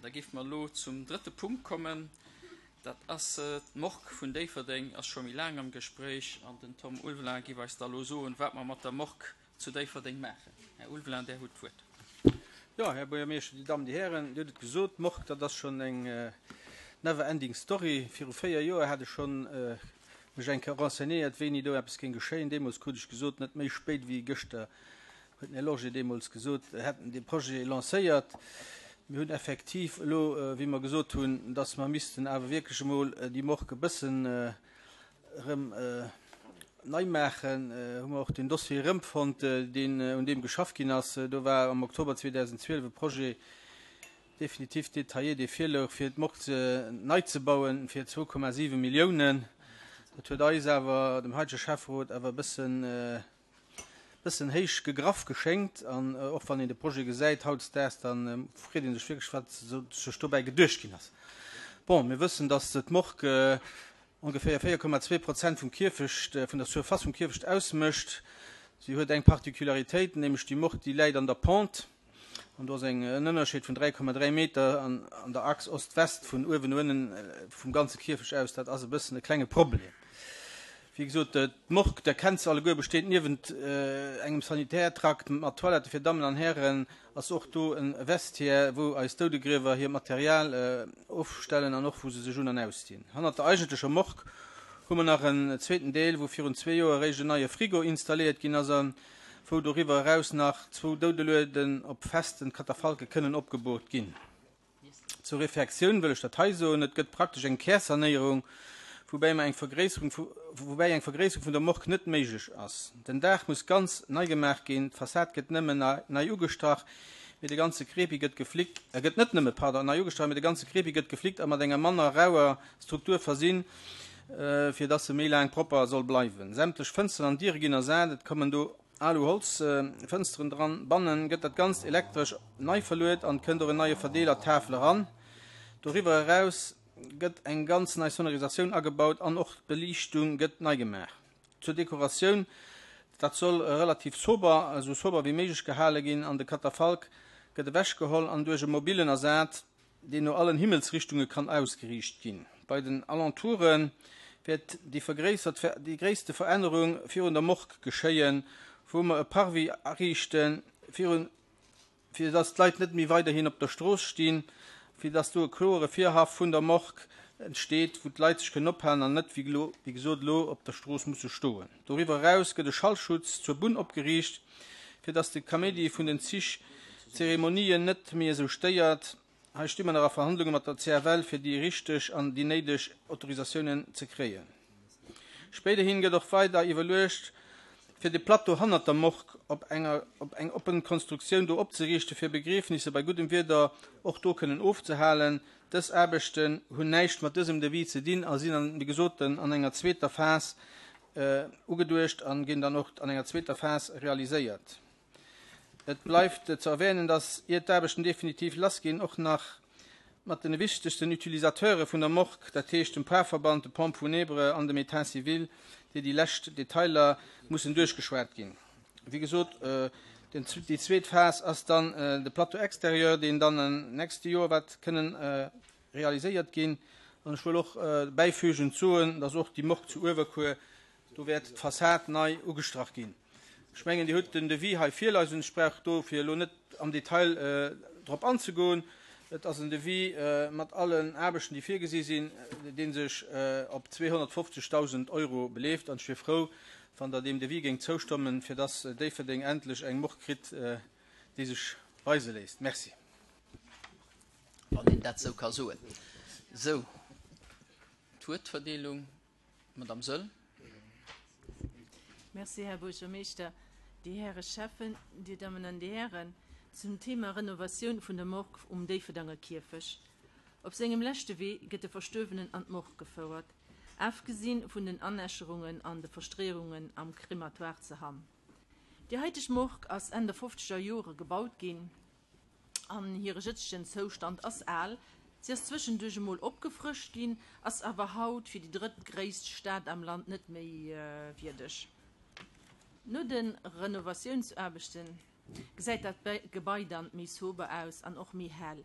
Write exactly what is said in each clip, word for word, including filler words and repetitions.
Da géife mer elo zum drëtte Punkt kommen. Dat ass d'Morgue vun Déifferdeng, ass scho méi laang am Gespréich an den Tom Ulveling géif eis da elo soen, wat mer mat der Morgue zu Déifferdeng maachen. Här Ulveling, Där hutt d'Wuert. Jo, Här Buergermeeschter, Dir Dammen, Dir Hären, Dir hutt et gesot, d'Morgue, dat ass schonn eng never ending story. Viru véier Joer hat ech schonn mech eng Kéier renseignéiert, wéini do eppes géing geschéien. Deemools krut ech gesot, net méi spéit wéi gëschter, huet den Här Lorgé deemools gesot, hätt en dee Projet lancéiert. Mir hunn effektiv elo, wéi mer gesot hunn, dass mer missten awer wierklech emol déi Morgue e bëssen erëm nei maachen, hu mer och den Dossier erëmfonnt, deen, un deem geschafft ginn ass. Do war am Oktober zweedausendzwielef e Projet définitif détaillé, dee virlouch, fir d'Morgue ze nei ze bauen, fir zwou Komma siwe Milliounen. Dat huet eis awer, dem heitege Schäfferot, awer e bëssen, bëssen héich gegraff geschéngt. An och wann een de Projet gesäit hautdesdaags, da freet ee sech wierklech, wat sech dobäi geduecht ginn ass. Bon, mir wëssen, datt d'Morgue ongeféier véier Komma zwee Prozent vum Kierfecht, vun der Surface vum Kierfecht ausmécht. Si huet eng Particularitéit, nämlech déi Morgue, déi läit an der Pente. An do ass eng en Ënnerscheed vun dräi Komma dräi Meter an an der Achs Ost-West vun uewen no ënnen vum ganze Kierfecht aus. Dat ass e bëssen e klenge Problem. Wéi gesot, d'Morgue, der kennt se alleguer, besteet niewent engem Sanitärtrakt mat Toilette fir Dammen an Hären, ass och do e Vestiaire, wou eis Doudegriewer hiert Material ofstellen an och wou se sech un an ausdinn. Hannert der eigentlecher Morgue hu mer nach en zweeten Deel, wou virun zwee Joer eréischt en neie Frigo installéiert ginn ass a wou doriwwer eraus nach zwou Doudelueden op festen Katafalke kënnen opgeboort ginn. Zur Reflektioun wëll ech dat hei soen, Et gëtt praktesch eng Kärsanéierung, woubäi mer eng Vergréisserung vu, woubäi eng Vergréisserung vun der Morgue net méiglech ass. Den Daach muss ganz nei gemaach ginn, d'Fassad gëtt nëmmen nei ugestrach, mee de ganze Krepi gëtt geflickt, äh gëtt net nëmme, pardon, nei ugestrach, mee de ganze Krepi gëtt geflickt a mat enger manner rauer Struktur versinn, fir dass se méi laang propper soll bleiwen. Sämtlech Fënsteren an Diere ginn ersat, et kommen do Alu-Holz-Fënsteren dran. Bannen gëtt dat Ganzt elektresch nei verluet an kënnt och en neie Verdeeler-Tafel eran. Doriwwer eraus gëtt eng ganz nei Sonorisatioun agebaut an och d'Beliichtung gëtt nei gemaach. Zur Dekoratioun, dat soll relativ sober, esou sober wéi méiglech gehale ginn an de Katafalk gëtt ewechgeholl an duerch e mobilen ersat. deen no allen Himmelsrichtunge kann ausgeriicht ginn. Bei den Alentoure wäert déi vergréissert déi gréisste Verännerung virun der Morgue geschéien, wou mer e Parvis ariichten, virun fir dass d'Leit net méi weiderhin op der Strooss stinn, fir dass do e kloere Virhaff vun der Morgue entsteet, wou d'Leit sech kënnen ophalen an net, wéi elo, wéi gesot, elo op der Strooss musse stoen. Doriwwer eraus gëtt e Schallschutz zur Bunn opgeriicht, fir dass de Kaméidi vun den Zich d'Zeremonien net méi esou stéiert. Hei sti mer nach a Verhandlunge mat der C F L, fir déi richteg an déi néideg Autorisatiounen ze kréien. Spéiderhin gëtt och weider iwwerluecht, fir de Plateau hannert der Morgue op enger op eng oppen Konstruktioun do opzeriichten, fir Begriefnisse bei guddem Wieder och do kënnen ofzehalen. Dës Aarbechten hunn näischt mat dësem Devis ze dinn a sinn an, wéi gesot, an enger zweeter Phas ugeduecht a ginn dann och an enger zweeter Phas realiséiert. Et bleift ze erwänen, dass, ier d'Aarbechten definitiv lassginn, och nach mat de wichtegsten Utilisateure vun der Morgue, dat heescht dem Parverband, de Pompes funèbres an dem État civil, déi déi lescht Detailer mussen duerchgeschwat ginn. Wéi gesot, déi zweet Phas ass dann de Plateau extérieur, deen dann am nächste Joer wäert kënnen realiséiert ginn. An ech wëll och bäifügend soen, dass och déi Morgue zu Uewerkuer, do wäert d'Fassad nei ugestrach ginn. Ech mengen, Dir hutt den Devis hei virleisen. Ech brauch dofir elo net am Detail drop anzegoen. Et ass en Devis mat allen Aarbechten, déi virgesi sinn, dee sech op zweehonnertfofzegdausend Euro beleeft. An ech wier frou, wann Der deem Devis géingt zoustëmmen, fir dass Déifferdeng endlech eng Morgue kritt, déi sech weise léisst. Merci. Wann een dat esou ka soen. Sou, d'Wuertverdeelung. Madame Söll. Merci, Här Buergermeeschter, Dir Häre Schäffen, Dir Dammen an Dir Hären. Zum Thema Renovatioun vun der Morgue um Déifferdanger Kierfech. Op sengem leschte Wee gëtt de Verstuerwenen an d'Morgue gefouert, afgesinn vun den Anäscherungen an de Verstreeungen am Krematoire ze Hamm. Déi haiteg Morgue ass Enn der fofzeger Jore gebaut ginn. An hire jëtzegen Zoustand ass al, si ass zwëschenduerch emol opgefrëscht ginn, ass awer haut fir déi drëttgréisst Stad am Land net méi wierdeg. No de Renovatiounsaarbechte gesäit dat Gebai dann méi sober aus an och méi hell.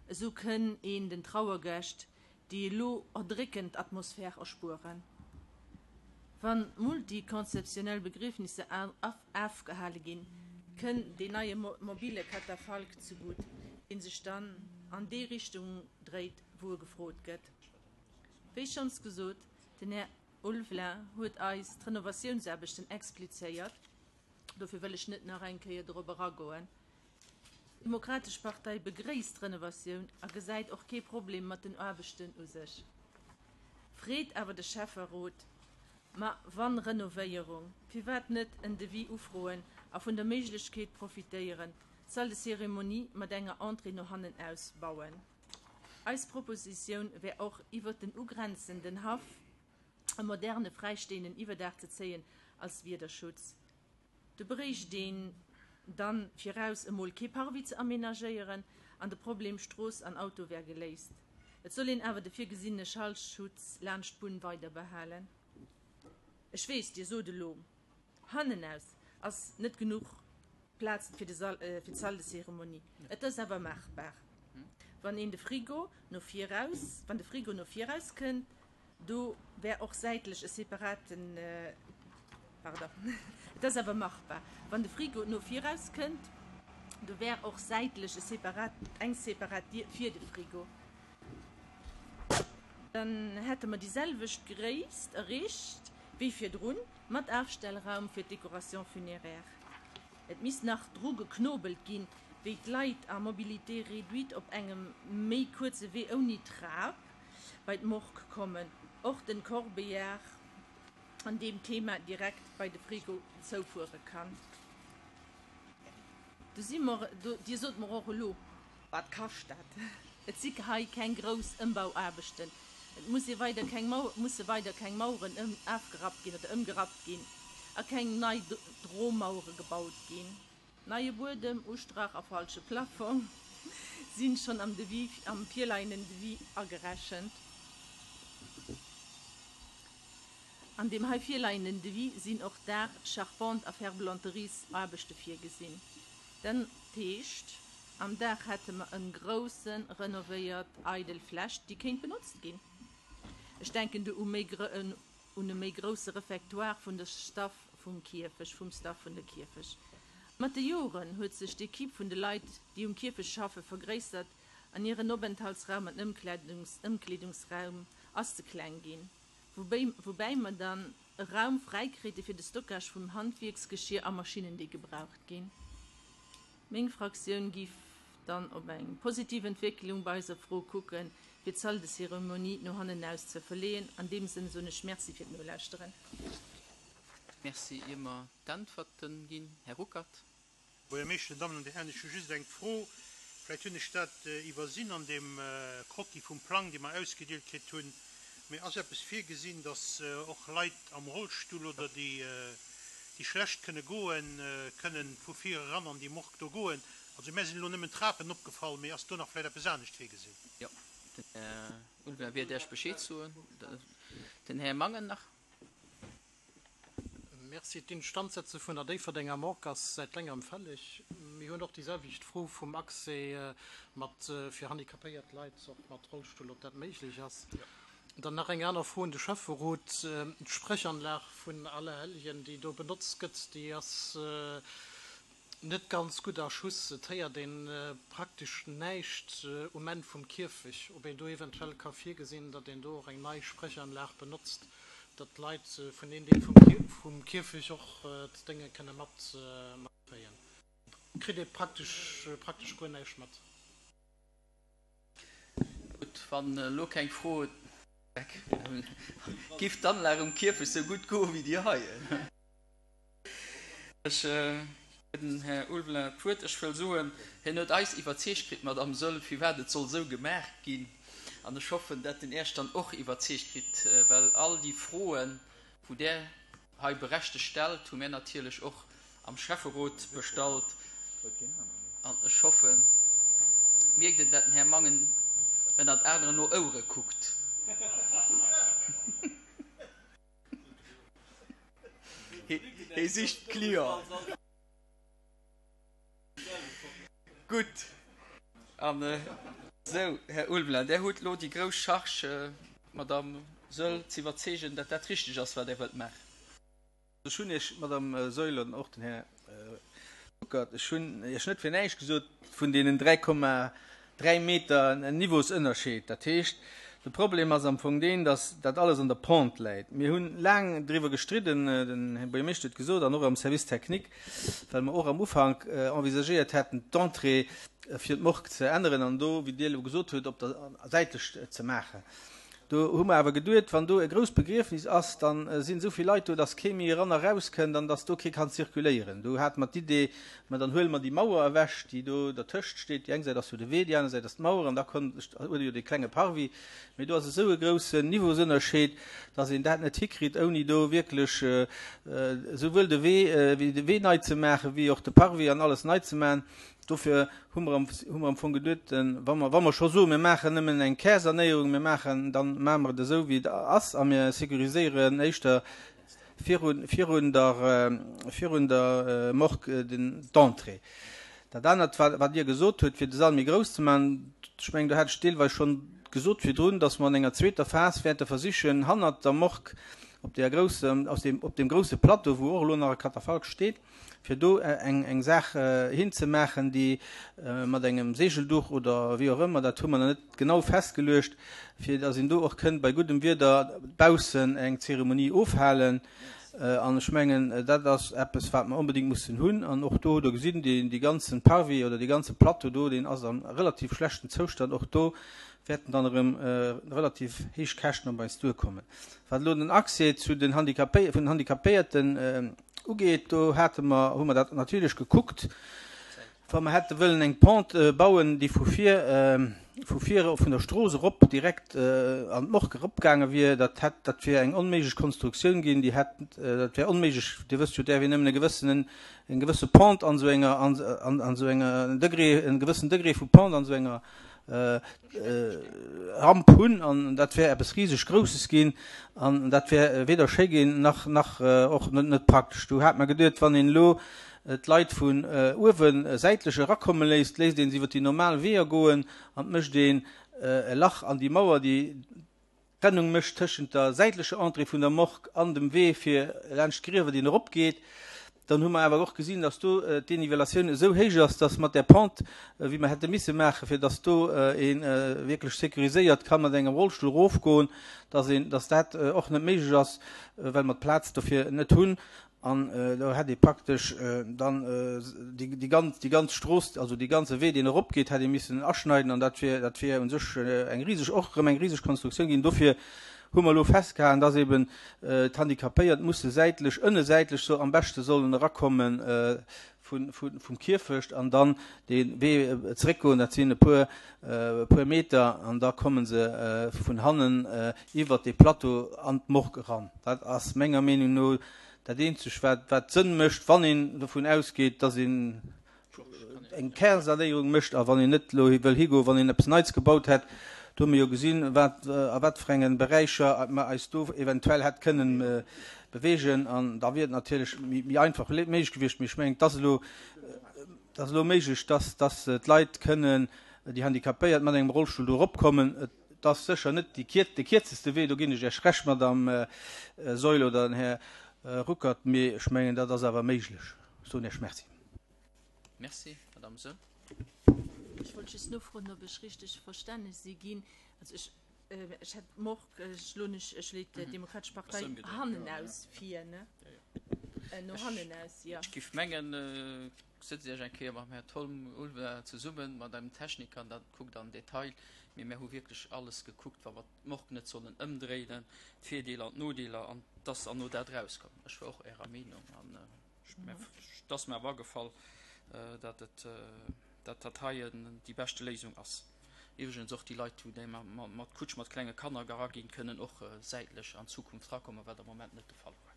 Esou kënn een den Trauergäscht déi elo erdréckend Atmosphär erspueren. Wa multikonfessionell Begriefnisser afgehale ginn, kënn deen neie mobile Katafalk zegutt, dee sech dann an déi Richtung dréit, wou e gefrot gëtt. Wéi schonns gesot, den Här Ulveling huet eis d'Renovatiounsaarbechten explizéiert, dofir wëll ech net nach eng Kéier dorop eragoen. D'Demokratesch Partei begréisst d'Renovatioun a gesäit och kee Problem mat den Aarbechten u sech. Freet awer de Schäfferot, ma wann Renovéierung, firwat net en Devis ufroen a vun der Méiglechkeet profitéieren, d'Salle de cérémonie mat enger Entrée no hannen ausbauen. Eis Propositioun wär och iwwer den ugrenzenden Haff e moderne fräistoenden Iwwerdaach ze zéien als Wiederschutz. Do bréicht een dann viraus emol kee Parvis ze amenagéieren an de Problem Strooss an Auto wär geléist. Et soll een awer de virgesinne Schallschutz laanscht d'Bunn weider behalen. Ech weess, Dir sot elo, hannenaus ass net genuch Plaz fir de Sall, äh, fir d'Salle de cérémonie. Et ass awer machbar. Wann een de Frigo no viraus, wann de Frigo no viraus kënnt, do wär och säitlech e separaten äh, pardon. Et ass awer machbar. Wann de Frigo no viraus kënnt, do wär och säitlech e separat, eng separat Dier fir de Frigo. Dann hätte mer déi selwecht Gréisst erreecht wéi virdrun mat Afstellraum fir d'Décoration funéraire. Et misst nach dru geknobelt ginn, wéi d'Leit à mobilité réduite op engem méi kuerze Wee ouni Trap bei d'Morgue kommen. Och den Corbillard an deem Thema direkt bei de Frigo zoufuere kann. Do si mer, do, Dir sot mer och elo, wat kascht dat? Et si hei keng grouss Ëmbauaarbechten. Et muss ee weider keng Mau musse weider keng Maueren ëm afgerappt ginn oder ëmgerappt ginn a keng nei Dromauere gebaut ginn. Neie Buedem, Ustrach a falsche Plafong sinn schonn am Devis, am virleienden Devis agerechent. An deem hei virleienden Devis sinn och Daach, Charpente a Ferblanteriesaarbechte virgesinn. Dat heescht, am Daach hätte mer e grousse renovéiert eidel Fläch, déi kéint benotzt ginn. Ech denken do u méi un e méi grousse Refectoire vun de Staff vum Kierfech, vum Staff vun der Kierfech. Mat de Joren huet sech d'Ekipp vun de Leit, déi um Kierfech schaffe vergréissert an hiren Openthaltsraum an Ëmkleedungs Ëmkleedungsraum ass ze kleng ginn. Woubäi, woubäi mer dann e Raum fräikréite fir de Stockage vum Handwierksgeschier a Maschinnen, déi gebraucht ginn. Meng Fraktioun géif dann op eng positiv Entwécklung bei eiser Fro kucken, fir d'Salle de cérémonie no hannen aus ze verleeën. An deem Sënn soen ech Merci fir d'Nolauschteren. Merci ier mer d'Äntwerten ginn. Här Ruckert. Buergermeeschter, Dammen an Dir Hären, ech hu just eng Fro. Vläicht hunn ech dat iwwersinn an deem Croquis vum Plang, dee mer ausgedeelt kritt hunn. Mee ass eppes virgesinn, dass och Leit am Rollstull oder déi déi schlecht kënne goen, kënnen vu vir eran an déi Morgue do goen? Also mär sinn elo nëmmen d'Trapen opgefall, mee ass do nach vläicht eppes anescht virgesinn? Jo, den Här Ulveling wäert Iech Bescheed soen. Den Här Mangen nach. Merci. D'Instandsetze vun der Déifferdenger Morgue ass säit längerem fälleg. Mir hunn och déi selwecht Fro vum Accès mat fir handicapéiert Leit, och mat Rollstull, ob dat méiglech ass. Dann nach eng aner Fro un de Schäfferot. D'Sprechanlag vun Allerhellgen, déi do benotzt gëtt, déi ass net ganz gutt a Schuss. Et héiert ee praktesch näischt um Enn vum Kierfech. Ob een do eventuell ka virgesinn, datt een do och eng nei Sprechanlag benotzt, datt d'Leit vun deem Deel vum Kierfech och d'Dénge kënne matkréien. Kritt ee praktesch praktesch guer näischt mat. Gutt, wann elo keng Fro giff d'Anlag um Kierfech sou gutt goe wéi déi hei. Ech ginn dem Här Ulveling d'Wuert. Ech wëll soen, hien huet eis iwwerzeegt kritt, Madame Saeul, firwat et soll sou gemaach ginn. An ech hoffen, dat en Iech dann och iwwerzeegt kritt, well all déi Froen, wou Der hei berechtegt stellt, hu mir natierlech och am Schäfferot bestallt. An ech hoffen, mierkt een, dat den Här Mangen ënnert aneren no Ouere kuckt. Hie sicht d'Clienten. Gutt, an Sou, Här Ulveling, Där hutt elo déi grouss Charge, d'Madame Saeul ze iwwerzeegen, datt dat richteg ass, wat Der wëllt maachen. Ech hunn Iech, Madame Saeul, an och den Här Ruckert, ech hunn Iech net fir näischt gesot vun deenen dräi Komma dräi Meter Niveausënnerscheed. Dat heescht, de Problem ass am Fong deen, datt dat alles an der Pente läit. Mir hunn laang driwwer gestridden, den Här Buergermeeschter huet gesot, an och am Service technique, well mer och am Ufank envisagéiert hätten, d'Entrée fir d'Morgue ze änneren an do, wéi Dir elo gesot hutt, op der säitlech ze maachen. Do hu mer awer geduet, wann do e grousst Begriefnis ass, da sinn esou vill Leit do, dass kee méi eran a raus kënnt an dass do kee kann zirkuléieren. Do hate mer d'Idee, ma dann huele mer déi Mauer ewech, déi do dertëscht steet. Déi eng Säit ass jo de Wee, déi aner Säit ass d'Mauer an da konnt, huet ee jo dee klenge Parvis. Mee do ass esou e groussen Niveausënnerscheed, dass een dat net hikritt, ouni do wierklech esouwuel de Wee, wéi de Wee nei ze maachen, wéi och de Parvis an alles nei ze maachen. Dofir hu mer am, hu mer am Fong geduet, wa mer, wa mer scho soen, mir maachen nëmmen eng Kärsanéierung, mir maachen, dann maache mer et esou, wéi et ass a mir sécuriséieren éischter virun, virun der, virun der Morgue den, d'Entrée. Dat anert, wat, wat Dir gesot hutt, fir de Sall méi grouss ze maachen, ech mengen, do hat ech deelweis schonn gesot virdrun, dass mer an enger zweeter Phas wäerte versichen, hannert der Morgue op där grousser, aus deem, op deem grouse Plateau, wou och elo nach e Katafalk steet, fir do eng, eng Saach hinzemaachen, déi mat engem Segelduch oder wéi och ëmmer, dat hu mer nach net genau festgeluecht, fir dass een do och kënnt bei guddem Wieder baussen eng Zeremonie ofhalen. An ech mengen, dat ass eppes, wat mer onbedéngt mussen hunn. An och do, do gesinn deen, dee ganzen Parvis oder dee ganze Plateau do, deen ass am relativ schlechten Zoustand. Och do wäerten dann erëm relativ héich Käschten op eis duerkommen. Wat elo den Accès zu den Handicapé vun den Handicapéierten ugeet, do hate mer, hu mer dat natierlech gekuckt, wa mer hätte wëllen eng Pente bauen, déi vu vir, vu vir vun der Strooss erop direkt an d'Morgue eropgaange wier, dat hätt, dat wier eng onméiglech Konstruktioun ginn, déi hätt, dat wär onméiglech, Dir wësst jo, däerf een nëmmen e gewëssenen, eng gewësse Pente an esou enger, an, an esou enger Degré, en gewëssen Degré vu Pente an esou enger Ramp hunn an dat wär eppes riseg Grousses ginn an dat wär weder schéi ginn nach nach och net net praktesch. Do hat mer geduet, wann een elo d'Leit vun uewe säitlech erakomme léisst, léisst een se iwwer déi normal Weeër goen an mécht een e Lach an déi Mauer, déi Trennung mécht tëschent der säitlecher Entrée vun der Morgue an dem Wee fir laanscht d'Griewer, deen eropgeet. Dann hu mer awer och gesinn, dass do d'Dénivellatioun esou héich ass, dass mat där Pente, wéi mer hätte misse maachen, fir dass do ee wierklech sécuriséiert ka mat engem Rollstull erofgoen, dass een, dass dat och net méiglech ass, well mer d'Plaz dofir net hunn. An do hätt ee praktesch dann déi ganz, déi ganz Strooss, also dee ganze Wee, deen eropgeet, hätt ee missen aschneiden an dat wier, dat wier u sech eng riseg, och erëm eng riseg Konstruktioun ginn. Dofir hu mer elo festgehalen, dass eben d'Handicapéiert musse säitlech, ënne säitlech so am beschte sollen erakommen vun, vun, vum Kierfecht an dann dee Wee zeréckgoen, dat sinn e puer, e puer Meter, an da komme se vun hannen iwwert dee Plateau an d'Morgue eran. Dat ass menger Meenung no dat Eenzeg, wat, wat Sënn mécht, wann een dovun ausgeet, dass een eng Kärsanéierung mécht a wann een net elo wëll higoen, wann een eppes Neits gebaut hätt. Do hu mir jo gesinn, wat, a wat fir engen Beräicher mer eis do eventuell hätt kënnen beweegen. An da wier et natierlech méi, méi einfach méiglech gewiescht. Mee ech mengen, et ass elo, et ass elo méiglech, dass, dass d'Leit kënnen, déi Handicapéiert, mat engem Rollstull do eropkommen. Et ass sécher net déi kier, de kierzeste Wee, do ginn ech Iech Recht, Madame Saeul oder den Här Ruckert, mee ech mengen, dat ass awer méiglech. Ech soen Iech Merci. Merci, Madame Saeul. Ech wollt just nofroen, ob ech richteg verstane si ginn. Also ech, ech hätt d'Morgue, ech elo nicht, ech leet d'Demokratesch Partei hannen aus vir, ne? No hannen aus, jo. Ech giff mengen, sëtzt Iech eng Kéier mam Här Tom Ulveling zesummen, mat engem Techniker, an da kuckt am Detail. Mee mir hu wierklech alles gekuckt, wa mer d'Morgue net sollen ëmdréinen, d'Virdeeler an d'Nodeeler, an dass an no dat erauskomm. Ech war och Ärer Meenung an et ass mir awer agefall, datt et, datt dat hei déi beschte Léisung ass. Iwwregens och déi Leit, déi mat Kutsch mat klenge Kanner eraginn, kënnen och säitlech an Zukunft erakommen, wat am Moment net de Fall war.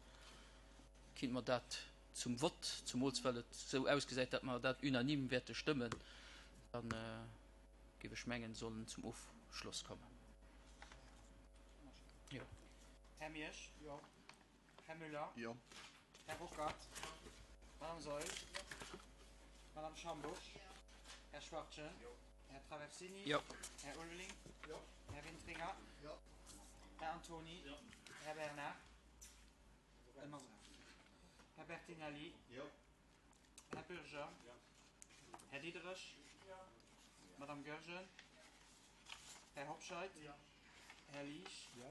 Kinnt mer dat zum Vott, zumools well et esou ausgesäit, datt mer dat unanime wäerte stëmmen, dann géif ech mengen, sollen zum Ofschloss kommen. Jo. Här Miersch? Jo. Här Müller? Jo. Här Ruckert? Madame Saeul? Madame Schambusch? Här Schwachtgen? Här Traversini. Jo. Här Ulveling. Jo. Här Wintringer. Jo. Här Antoni. Jo. Här Bernard. Här Bertinelli. Jo. Här Bürger. Jo. Här Diederich. Jo. Madame Goergen. Här Hobscheit. Jo. Här Liesch. Jo.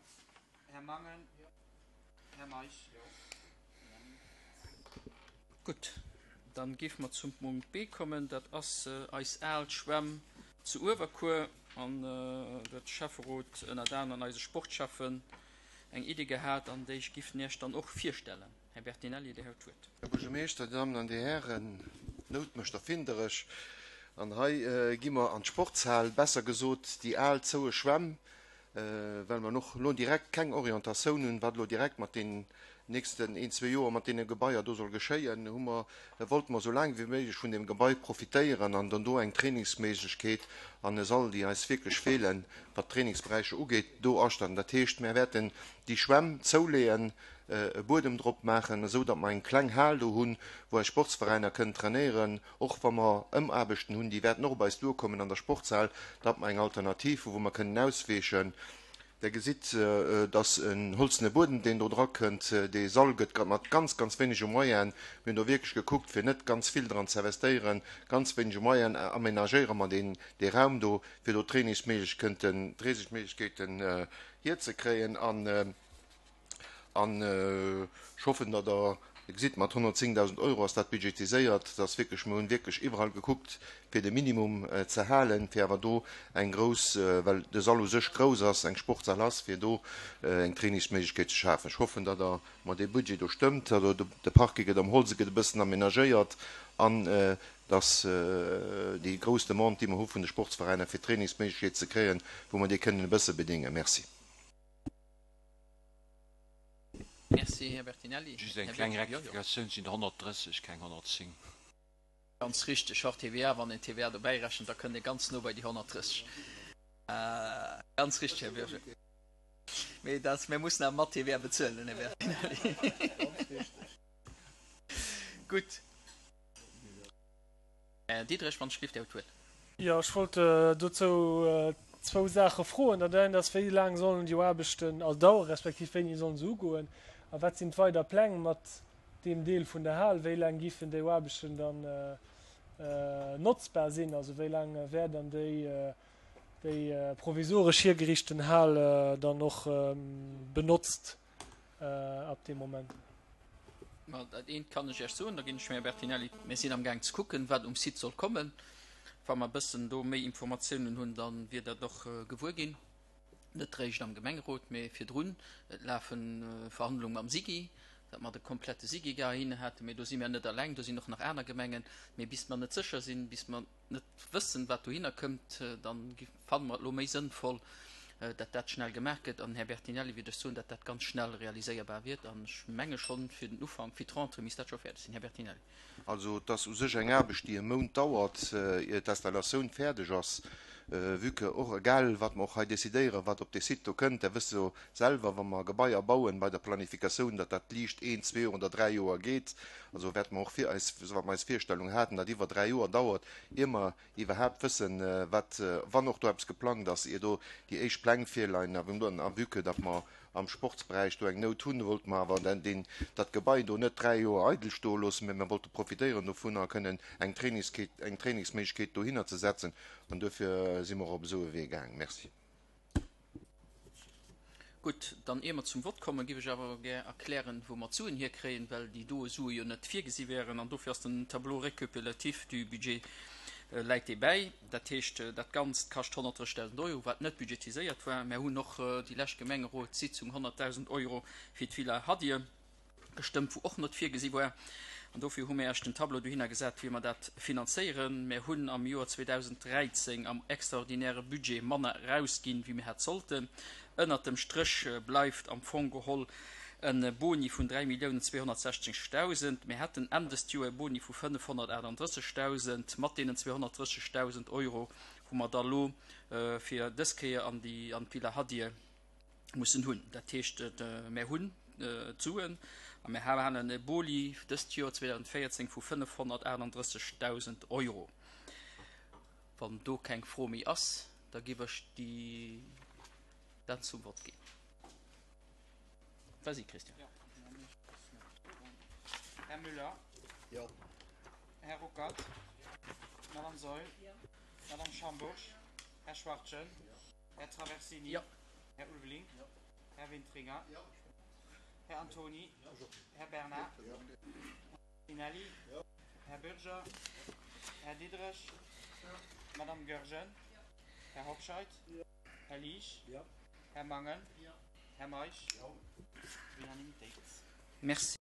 Här Mangen. Jo. Här Meisch. Jo. Gutt, dann géife mer zum Punkt B kommen. Dat ass eis al Schwämm zu Uewerkuer. An do huet de Schäfferot ënnert aneren eise Sportschäffen eng Idee gehat an déi ech giff Iech dann och virstellen. Här Bertinelli, Dir hutt d'Wuert. Här Buergermeeschter, Dir Dammen an Dir Hären, d'Nout mécht erfinderesch. An hei gi mer an d'Sportshal, besser gesot déi al zoue Schwämm, well mer och elo direkt keng Orientatioun hunn, wat elo direkt mat deenen nächsten een, zwee Joer mat deene Gebaier do soll geschéien, hu mer, wollte mer esou laang wéi méiglech vun deem Gebai profitéieren an dann do eng Trainingsméiglechkeet an e Sall, déi eis wierklech feelen, wat d'Trainingsberäicher ugeet, do astatten. Dat heescht, mir wäerten déi Schwämm zouleeën, e Buedem drop maachen, esou datt mer eng kleng Hal do hunn, wou eis Sportsveräiner kënnen trainéieren, och wa mer Ëmaarbechten hunn, déi wäerten och op eis duerkommen an der Sportshal, datt mer eng Alternativ hu wou mer kënnen ausweechen. Der gesitt, datt en holzene Buedem, deen do dra kënnt, dee Sall gëtt mat ganz, ganz wéinege Moyenen, mir hunn do wierklech gekuckt, fir net ganz vill dran ze investéieren, ganz wéinege Moyenen amenagéiere mer deen, dee Raum do, fir do Trainingsméiglechkeeten, Trainingsméiglechkeeten hierzekréien. An, an ech hoffen, datt Der Dir gesitt, mat honnertzéngdausend Euro ass dat budgetiséiert. Dat ass wierklech, mir hunn wierklech iwwerall gekuckt, fir de Minimum ze halen, fir awer do eng grouss, well de Sall u sech grouss ass, eng Sportshal ass, fir do eng Trainingsméiglechkeet ze schafen. Ech hoffen, datt Der mer dee Budget do stëmmt. Also de Parking gëtt am Holze gëtt e bëssen amenagéiert an datt déi grouss Demande, déi mer hu vun de Sportsveräiner, fir Trainingsméiglechkeet ze kréien, wou mer déi kënnen e bësse bedéngen. Merci. Merci, Här Bertinelli. Just eng kleng Rektifikatioun, et sinn honnertdrësseg, keng honnertzéng. Ganz richteg, hors T V A, wann een T V A dobäi rechent, da kënnt ee ganz no bei déi honnertdrësseg. Ganz richteg, Här Bürger. Mee dat, mir mussen awer mat T V A bezuelen, Här Bertinelli. Gutt. Här Diederich, wann ech gelift, Dir hutt d'Wuert. Jo, ech wollt dozou zwou Saache froen. Dat eent ass, wéi laang sollen déi Aarbechten all dauern, respektiv wéini sollen se ugoen? A wat sinn d'weider Pläng mat deem Deel vun der Hal? Wéi laang giffen déi Aarbechten dann notzbar sinn? Also wéi laang wär dann déi, déi provisoresch hiergeriichten Hal dann och benotzt ab dem Moment? Ma dat eent kann ech Iech soen, da ginn ech mir Bertinelli. Mir sinn am Gaang ze kucken, wat um Site soll kommen. Wa mer e bëssen do méi Informatiounen hunn, dann wier dat och gewuer ginn. Net réischt am Gemengerot, mee virdrun. Et lafen Verhandlungen mam SIGI, datt mer de komplette SIGI gar hin haten. Mee do si mir net alleng, do sinn och nach aner Gemengen. Mee bis mer net sécher sinn, bis mer net wëssen, wat dohinner kënnt, dann fanne mer et elo méi sënnvoll, datt dat schnell gemaach gëtt. An Här Bertinelli, wier ech soen, datt dat ganz schnell realiséierbar wier. An ech menge schonn, fir den Ufank, fir d'Rentrée misst dat scho fäerdeg sinn. Här Bertinelli. Also, et ass u sech eng Aarbecht, déi e Mount dauert, ier d'Installatioun fäerdeg ass. Vu que och, egal wat mer och hei decidéieren, wat op dee Site do kënnt, der wësst jo selwer, wa mer Gebaier bauen bei der Planifikatioun, datt dat liicht een, zwee oder dräi Joer geet. Also wäerte mer och fir eis, wat mer eis Virstellung haten, dat iwwer dräi Joer dauert, ier mer iwwerhaapt wëssen, wat, wann och do eppes geplangt ass, ier do déi éischt Pläng virleien. A vu que datt mer am Sportsberäich do eng Nout hunn, wollte mer awer den, dat Gebai do net dräi Joer eidel stoe loossen, mee mer wollte profitéieren dovun a kënnen eng Trainingskeet, eng Trainingsméiglechkeet dohinner ze setzen. An dofir si mer op esou e Wee gaang. Merci. Gutt, dann ier mer zum Vott kommen, géif ech awer gär erklären, wou mer d'Suen hierkréien, well déi doe Sue jo net virgesi wären. An dofir ass den Tableau récapitulatif du budget läit dee bäi. Dat heescht, dat Ganzt kascht honnertdrëssigtausend Euro, wat net budgetiséiert war. Mir hunn och déi lescht Gemengerotssitzung honnertdausend Euro fir d'Villa Hadir gestëmmt, wou och net virgesi war. An dofir hu mir erst den Tableau dohinner gesat, wéi mer dat finanzéieren. Mir hunn am Joer zweetausenddräizéng am extraordinäre Budget manner rausginn, wéi mir hätt sollten. Ënnert dem Stréch bleift am Fong geholl en Boni vun dräi Milliounen zweehonnertsechzigtausend. Mir hätten Enn des Joer e Boni vu fënnefhonnertaachtunddrëssigtausend. Mat deenen zweehonnertdrëssigtausend Euro hu mer da lo fir dës Kéier an déi, an d'Villa Hadir mussen hunn. Dat heescht, mir hunn d'Suen a mir halen e Boni dëst Joer zweetausenddvéierzéng vu fënnefhonnertaachtunddrëssigtausend Euro. Wann do keng Fro méi ass, da géif ech déi dat zum Vott ginn. Vas-y, Christian. Här Müller. Jo. Här Ruckert. Madame Saeul. Madame Schambourg. Här Schwachtgen. Här Traversini. Jo. Här Ulveling. Här Wintringer. Här Antoni. Här Bernard. Tinelli. Här Bürger. Här Diderich. Madame Goergen. Här Hobscheit. Här Liesch. Här Mangen. Här Meisch. Unanimitéit. Merci.